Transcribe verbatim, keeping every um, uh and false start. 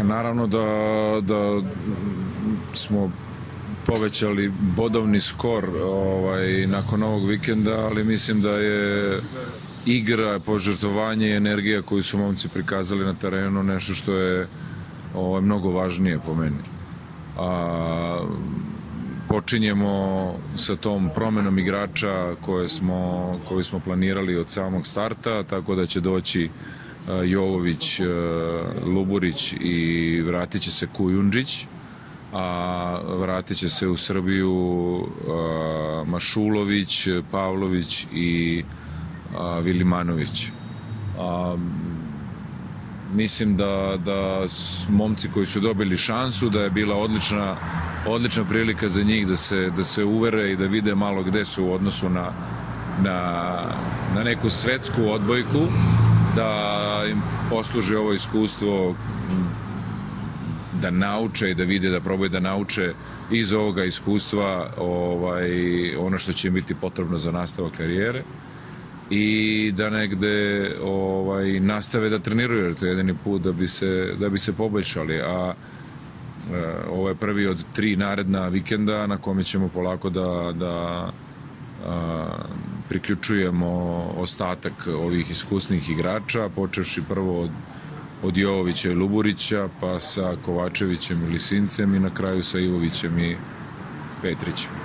Naravno da, da smo povećali bodovni skor ovaj, nakon ovog vikenda, ali mislim da je igra, požrtvovanje i energija koju su momci prikazali na terenu nešto što je ovaj, mnogo važnije po meni. A, počinjemo sa tom promenom igrača koje smo, koju smo planirali od samog starta, tako da će doći Jovović, Luburić i vratit će se Kujundžić, a vratit će se u Srbiju Mašulović, Pavlović i Vilimanović. A, mislim da, da momci koji su dobili šansu, da je bila odlična, odlična prilika za njih da se, da se uvere i da vide malo gde su u odnosu na, na, na neku svetsku odbojku, da im posluži ovo iskustvo, da nauče i da vide, da probaju da nauče iz ovoga iskustva ovaj, ono što će im biti potrebno za nastavak karijere i da negde ovaj, nastave da treniraju, jer to je jedini put da bi se, da bi se poboljšali. A e, ovo je prvi od tri naredna vikenda na kome ćemo polako da, da a, priključujemo ostatak ovih iskusnih igrača, počevši prvo od, od Jovovića i Luburića, pa sa Kovačevićem i Lisincem i na kraju sa Ivovićem i Petrićem.